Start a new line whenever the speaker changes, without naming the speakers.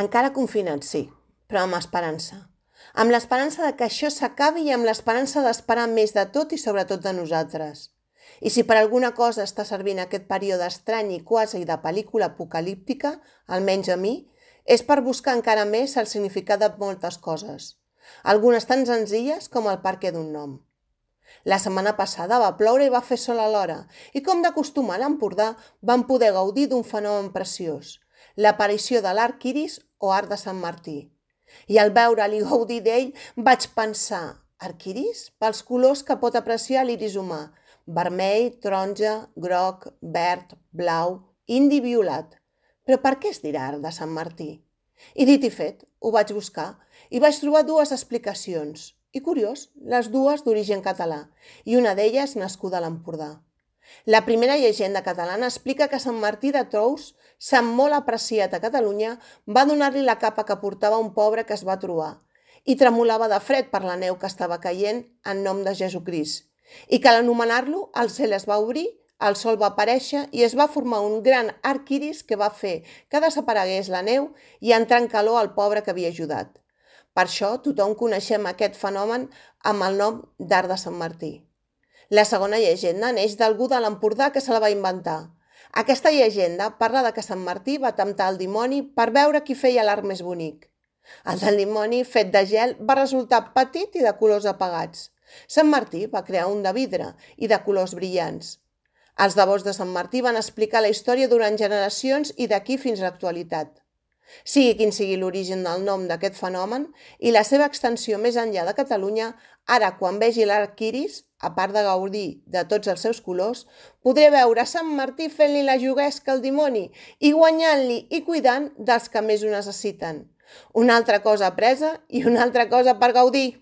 Encara confinats, sí, però amb esperança. Amb l'esperança de que això s'acabi i amb l'esperança d'esperar més de tot i sobretot de nosaltres. I si per alguna cosa està servint aquest període estrany i quasi de pel·lícula apocalíptica, almenys a mi, és per buscar encara més el significat de moltes coses. Algunes tan senzilles com el perquè d'un nom. La setmana passada va ploure i va fer sol alhora, i com d'acostumar a l'Empordà vam poder gaudir d'un fenomen preciós, l'aparició de l'arc iris o arc de Sant Martí. I al veure'l i gaudir d'ell vaig pensar, arc iris? Pels colors que pot apreciar l'iris humà, vermell, taronja, groc, verd, blau, indi i violat. Però per què es dirà arc de Sant Martí? I dit i fet, ho vaig buscar i vaig trobar dues explicacions. I curiós, les dues d'origen català, i una d'elles nascuda a l'Empordà. La primera llegenda catalana explica que Sant Martí de Tous, sant molt apreciat a Catalunya, va donar-li la capa que portava un pobre que es va trobar, i tremolava de fred per la neu que estava caient en nom de Jesucrist, i que a l'anomenar-lo el cel es va obrir, el sol va aparèixer i es va formar un gran arc iris que va fer que desaparegués la neu i entrar en calor al pobre que havia ajudat. Per això tothom coneixem aquest fenomen amb el nom d'arc de Sant Martí. La segona llegenda neix d'algú de l'Empordà que se la va inventar. Aquesta llegenda parla de que Sant Martí va temptar el dimoni per veure qui feia l'arc més bonic. El del dimoni, fet de gel, va resultar petit i de colors apagats. Sant Martí va crear un de vidre i de colors brillants. Els devots de Sant Martí van explicar la història durant generacions i d'aquí fins a l'actualitat. Sigui quin sigui l'origen del nom d'aquest fenomen i la seva extensió més enllà de Catalunya, ara quan vegi l'arc iris, a part de gaudir de tots els seus colors, podré veure Sant Martí fent-li la juguesca al dimoni i guanyant-li i cuidant dels que més ho necessiten. Una altra cosa apresa i una altra cosa per gaudir.